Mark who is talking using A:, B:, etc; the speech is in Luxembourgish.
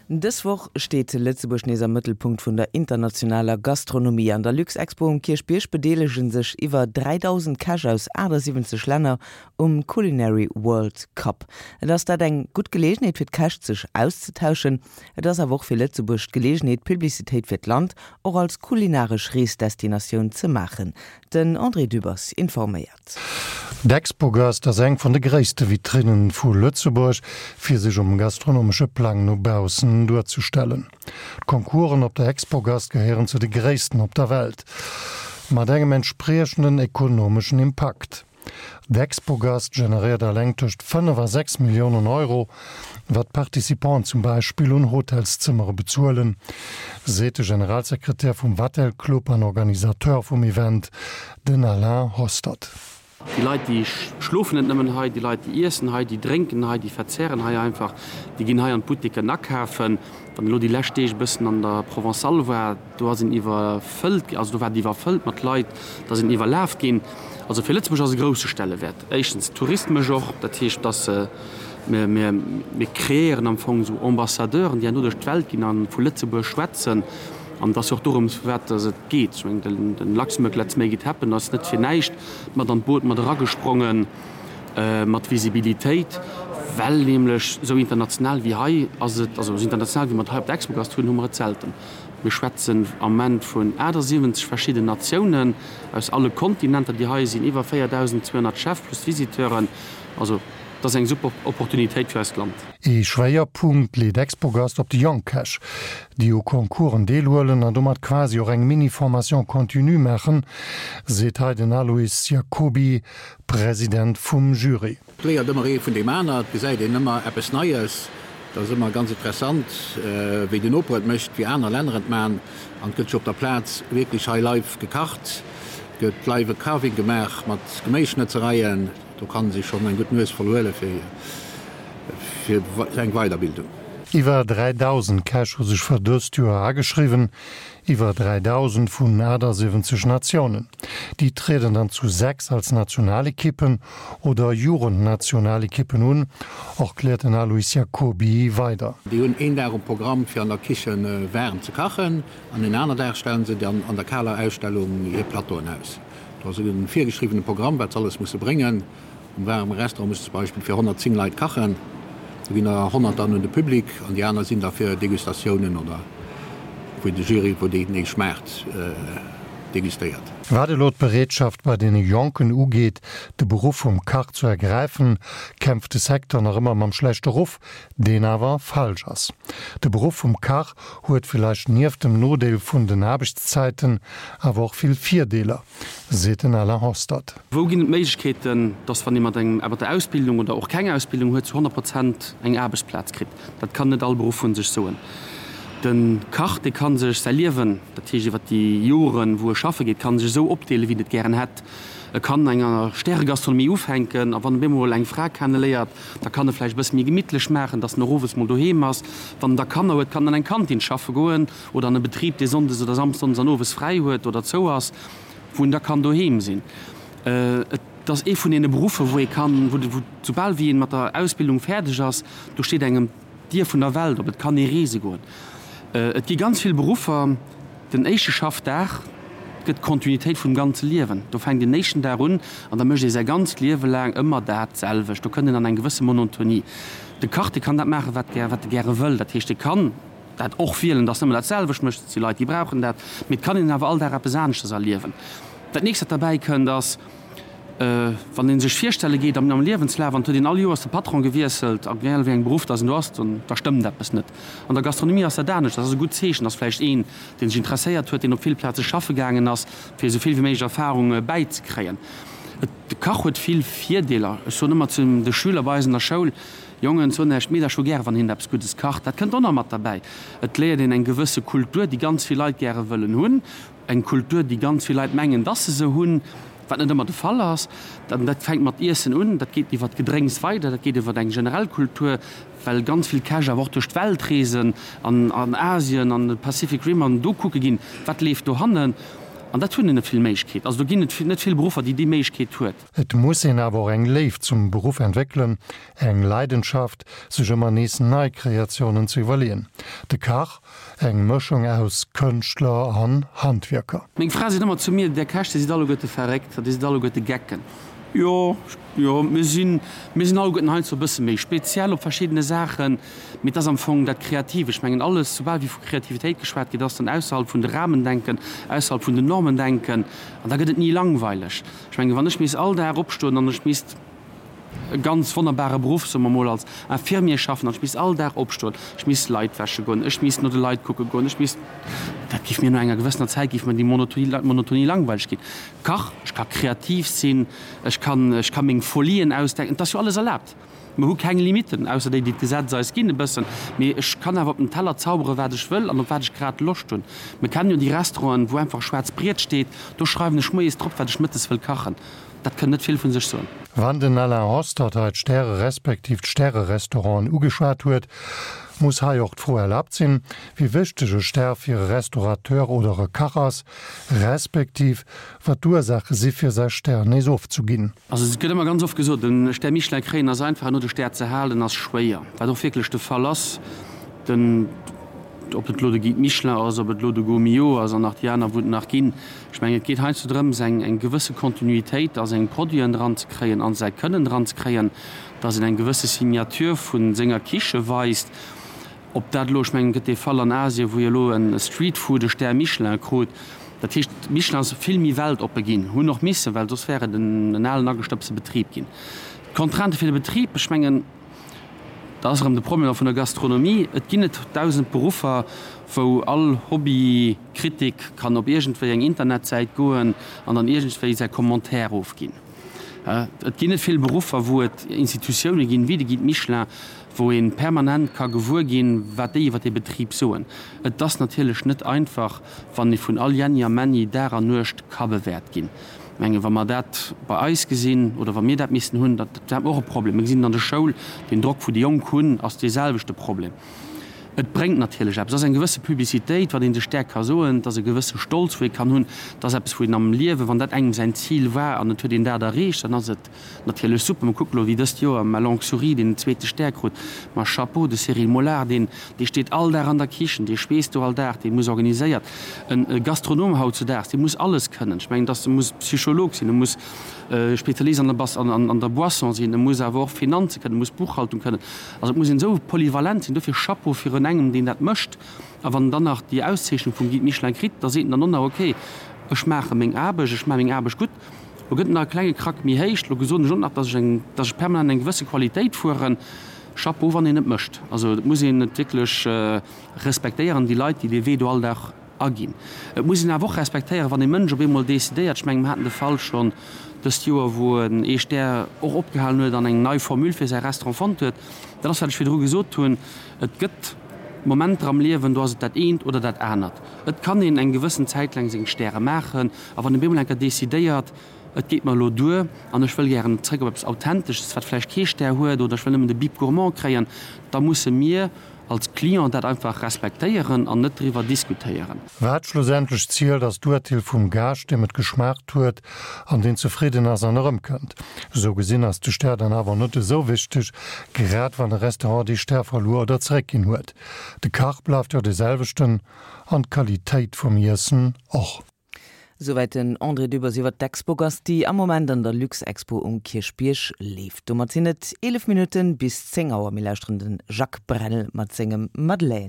A: Dës Woch steet Lëtzebuerg nees am Mëttelpunkt vun der internationaler Gastronomie. An der Luxexpo um Kierchbierg bedeelege sech iwwer 3.000 Käch aus 78 Länner um Culinary World Cup. Et ass dat eng gutt Geleegenheet fir d'Käch sech auszetauschen. Et ass awer och fir Lëtzebuerg d'Geleegenheet Publicitéit fir d'Land och als kulinaresch Reesdestinatioun ze maachen. Den André Dübbers informéiert.
B: D'Expogast ass eng vun de gréisste Vitrinnen vu Lëtzebuerg, fir sech um gastronomesche Plang no baussen duerzestellen. D'Concoursen op der Expogast gehéieren zu de gréissten op der Welt, mat engem entspriechenden ekonomeschen Impakt. D'Expogast generéiert eleng tëscht 5 a 6 Milliounen Euro, wat d'Participanten zum Beispill un Hotelszëmmere bezuelen, seet de Generalsekretär vum Vatel Club an Organisateur vum Event, Den Alain Hostert.
C: Déi Leit, déi schlofen net nëmmen hei, déi Leit, déi iessen hei, déi drénken hei, déi verzehren hei einfach, déi ginn hei an d'Boutiquen akafen. Wann een elo déi lescht Deeg e bëssen an der Provençale war, do ass een iwwerfëllt, also do war et iwwerfëllt mat Leit, da sinn iwwerlaf ginn. Also fir Lëtzebuerg ass e grousse Stellewäert. Éischtens tourismesch och, dat heescht, dass mir, mir, mir kreéieren am Fong esou Ambassadeuren, déi herno duerch d'Welt ginn a vu Lëtzebuerg schwätzen. An et ass jo och dorëms, vu wat dass et geet. Ech mengen, den Luxembourg Let's Make It Happen ass net fir näischt mat an d'Boot mat eragesprongen, mat Visibilitéit, well nämlech esou international wéi hei ass et, also esou international wéi mer et hei op der Expogast hunn, hu mer et selten. Mir schwätzen am Moment vun 78 verschidden Natiounen aus alle Kontinenter, déi hei sinn, iwwer 4.200 Chef plus Visiteuren. Also et ass eng super Opportunitéit fir eist Land.
B: Ee Schwéierpunkt leet Expogast op de Young Cash, déi u Concoursen deelhuelen an domat quasi och eng Mini-Formation continue maachen, seet hei den Alois Jacoby, President vum Jury.
D: Et léiert ëmmer ee vun deem aner, et gesäit een ëmmer eppes Neies. Et ass ëmmer ganz interessant, wéi den Noper et mécht, wéi aner Länner et man. An et gëtt jo op der Plaz wierklech hei live gekacht, et gëtt live e Carving gemaach mat Geméisschnëtzereien. Do kann ee sech schonn eng gutt Nues voll huele fir fir eng Weiderbildung.
B: Iwwer 3.000 Käch hu sech fir dëst Joer ageschriwwen, iwwer 3.000 vun 78 Natiounen. Déi trieden dann zu 6 als Nationalekippen oder Jugendnationalekippen un, erkläert den Alois Jacoby weider.
D: Déi hunn een Dag um Programm fir an der Kiche waarem ze kachen an een aner Dag stellen se dann an der kaler Ausstellung hir Plateauen aus. Do ass e virgeschriwwene Programm, wat se alles musse bréngen. Am waarme Restaurant muss zum Beispill fir 110 Leit kachen. Do ginn der 100 dann un de Public an déi aner sinn da fir Degustatiounen oder wou de Jury, wou deen ee schmaacht, degustéiert.
B: Wat elo d'Bereetschaft bei deene Jonken ugeet, de Beruff vum Kach zu ergräifen, kämpft de Secteur nach ëmmer mam schlechte Ruff, deen awer falsch ass. De Beruff vum Kach huet villäicht nieft dem Nodeel vun den Aarbechtszäiten awer och vill Virdeeler, seet den Alain Hostert.
C: Wou ginn et Méiglechkeeten, dass wann ee mat engem mat der Ausbildung oder och keng Ausbildung huet, zu 100 Prozent eng Aarbechtsplaz kritt? Dat kann net all Beruff vu sech soen. De Kach, dee ka sech säi Liewen, dat heescht iwwer déi Joren, wou e schaffe geet, ka sech esou opdeelen, wéi en et gären hätt. E kann enger Stäregastronomie ufänken a wann e bemol eng Fra kenneléiert, Da kann e vläicht e bësse méi gemittlech maachen, dass en och owes mol doheem ass. Wann en da Kanner huet, kann en an eng Kantin schaffe goen oder an e Betrib, dee sonndes oder samsdonnes an owes fräi huet oder zou ass, wou en da kann doheem sinn. Et ass ee vun deene Beruffer, wou ee kann, wou, soubal wéi een mat der Ausbildung fäerdeg ass, do steet engem d'Dier vun der Welt op, et kann ee reese goen. Et gi ganz vill Beruffer, den éischte Schaffdag gëtt d'Kontinuitéit vum ganze Liewen. Do fänkt een den éischten Dag un an da mécht ee säi ganzt Liewe laang ëmmer dat selwecht. Do kënnt een an eng gewësse Monotonie. De Kach, dee kann dat maachen, wat wat e gäre wëll. Dat heescht, e kann dat och wielen, dass en ëmmer dat selwecht mécht. Et si Leit, déi brauchen dat. Mee et kann een awer all Dag eppes aneschters erliewen. Dat nächst, wat derbäi kënnt, ass, Wann ee sech virstelle geet am Liewenslaf an et huet een all Joers de Patron gewiesselt, a egal wéi engem Beruff datt een do ass, dann da stëmmt eppes net. An der Gastronomie ass dat anescht. Dat ass e gutt Zeechen, datt vläicht een, dee sech interesséiert huet, deen op vill Plaze schaffe gaangen ass, fir esou vill wéi méiglech Erfarung bäizekréien. Et, de Kach huet vill Virdeeler. Ech soen ëmmer zu de Schüler bei eis an der Schoul, Jongen, soen Iech d'Meedercher hu gäre wann hinnen eppes Guddes kacht. Dat kënnt och nach mat derbäi. Et léiert een eng gewësse Kultur, déi ganz vill Leit gäre wëllen hunn. Eng Kultur, déi ganz vill Leit mengen, dass se se hunn, wat net ëmmer de Fall ass. An dat fänkt mat Iessen un, dat geet iwwer d'Gedrénks weider, dat geet iwwer eng generell Kultur, well ganz vill Käch awer och duerch d'Welt reesen, an an Asien, an de Pacific Rim an do kucke ginn, wat leeft dohannen. An dat hunn net vill Méiglechkeet. Also do ginn et net vill Beruffer, déi déi Méiglechkeet huet.
B: Et muss een awer och eng Léift zum Beruff entwéckelen, eng Leidenschaft, sech ëmmer nees nei Kreatiounen ze iwwerleeën. De Kach, eng Mëschung aus Kënschtler an Handwierker.
C: Meng Fra seet ëmmer zu mir, Där Käch, dir sidd alleguerte verréckt, dir sidd alleguerte Gecken. Jo, jo, mir sinn, mir sinn alleguerten heiansdo e bësse méi speziell op verschiddene Saachen, mee et ass am Fong dat Kreativ. Ech mengen alles, soubal wéi vu Kreativitéit geschwat gëtt, ass dann ausserhalb vun de Rahmen denken, ausserhalb vun den Normen denken an da gëtt et ni langweileg. Ech mengen, wann ech misst all Dag opstoen an ech misst e ganz wonnerbare Beruff, soe mer mol, als Infirmier schaffen an ech misst all Dag opstoen, ech misst Leit wäsche goen, ech misst no de Leit kucke goen, ech misst, dat géif mir no enger gewëssener Zäit géif mir déi Monotonie langweileg ginn. Kach, ech ka kreativ sinn, ech kann, ech ka meng Folien ausdenken, et ass jo alles erlaabt. Mer hu keng Limitten, ausser déi, déi d'Gesetz eis ginn e bëssen, mee ech kann awer op den Teller zaubere wat ech wëll an op wat ech grad Loscht hunn. Mer kennen jo déi Restauranten, wou einfach e schwaarzt Briet steet, do schreiwen ech moies drop, wat ech mëttes wëll kachen. Dat kënnt net vill vu sech soen.
B: Wann den Alain Hostert hei d'Stäre respektiv d'Stäre-Restauranten ugeschwat huet, muss hei och d'Fro erlaabt sinn, wéi wichteg e Stär fir e Restaurateur oder e Kach ass, respektiv wat d'Ursaache si fir säi Stär nees ofzuginn.
C: Also et gëtt ëmmer ganz oft gesot, e Stär Michelin kréien ass einfach, herno de Stär ze halen ass schwéier, wat och wierklech de Fall ass. Den, ob et elo de Guide Michelin ass, ob et elo de Gault Millau ass an nach déi aner wou et nach ginn, ech mengen et geet heiansdo drëms eng eng gewësse Kontinuitéit a seng Produiten dran ze kréien, a säi Kënnen dran ze kréien, datt een eng gewësse Signature vu senger Kiche weist. Ob dat elo, ech mengen, et gëtt dee Fall an Asien, wou jo elo e Streetfood e Stär Michelin krut. Dat heescht, Michelin ass vill méi weltoppe ginn, hunn och missen, well soss wär et en alen agestëbste Betrib ginn. D'Contrainte fir de Betrib, ech mengen, da ass erëm de Problem vun der Gastronomie, et ginn net 1.000 Beruffer, wou all Hobbykritik kann op iergendwéi eng Internetsäit goen an dann iergendwéi säi Commentaire ofginn. Et ginn net vill Beruffer, wou et Institutioune ginn, wéi de Guide Michelin, wou ee permanent ka gewuer ginn, wat déi iwwer dee Betrib soen. Et ass natierlech net einfach, wann ee vun all Jenni a Männi Dag an Nuecht ka bewäert ginn. Ech mengen, wa mer dat bei eis gesinn oder wa mir dat missten hunn, dat hätte mer och e Problem. Mir gesinn et an der Schoul, deen Drock, wou déi Jonk hunn, ass deeselwechte Problem. Et bréngt natierlech eppes, et ass eng gewësse Publicitéit, wat ee sech där ka soen, et ass e gewësse Stolz, wou ee kann hunn, et ass eppes, wou een am Liewen, wann dat engem säin Zil war an et huet een dat erreecht, dann ass et natierlech super. Mer kucken elo, wéi dëst Joer Ma Longue Souris deen zweete Stär krut, ma Chapeau, de Cyril Molard, deen, dee steet all Dag an der Kichen, dee schweesst do all Dag, dee muss organiséiert. En Gastronom hautzudaags, dee muss alles kënnen. Ech mengen, dass e muss Psycholog sinn, e muss Spezialist an der Bas, an der Boisson sinn, e muss awer och Finanze kënnen, e muss Buchhaltung kënnen. Also et muss een esou polyvalent sinn. Dofir Chapeau virun engem, deen dat mécht. A wann en dann nach déi Auszeechnung vum Guide Michelin kritt, da seet en dann och nach, okay, ech maache meng Aarbecht, ech maache meng Aarbecht gutt. Lo gëtt en nach e klenge Krack méi héich. Lo soen ech och nach, dass ech eng, dass ech permanent eng gewësse Qualitéit fueren. Chapeau, wann een et mécht. Also et muss een et wierklech respektéieren, déi Leit, déi dee Wee do all Dag aginn. Et muss een awer och respektéieren, wann ee Mënsch op eemol decidéiert, ech mengen, mer haten de Fall schonn dëst Joer, wou en ee Stär och opgehalen huet an eng nei Formule fir säi Restaurant fonnt huet. Dat ass, wat ech virdru gesot hunn, Et gëtt Momenter am Liewen, do ass et dat eent oder dat anert. Et kann een eng gewëssen Zäit laang seng Stäre maachen, a wann een op eemol eng Kéier decidéiert, et geet mer elo duer an ech wëll gären zréck op eppes Authentesches, wat vläicht kee Stär huet, oder ech wëll nëmmen de Bib Gourmand kréien, da musse mir als Client dat einfach respektéieren an net driwwer diskutéieren.
B: Wat schlussendlech zielt, ass d'Urteel vum Gaascht, deem et geschmaacht huet an deen zefridden ass an erëmkënnt. Esou gesinn ass de Stär dann awer net esou wichteg, grad wann e Restaurant dee Stär verluer oder zeréckginn huet. De Kach bleift jo dee selwechten an d'Qualitéit vum Iessen och.
A: Souwäit den André Dübbers iwwer d'Expogast, déi am Moment an der Luxexpo um Kierchbierg leeft. Domat sinn et 11 Minutten bis 10 Auer. Mir lauschteren de Jacques Brel mat sengem Madeleine.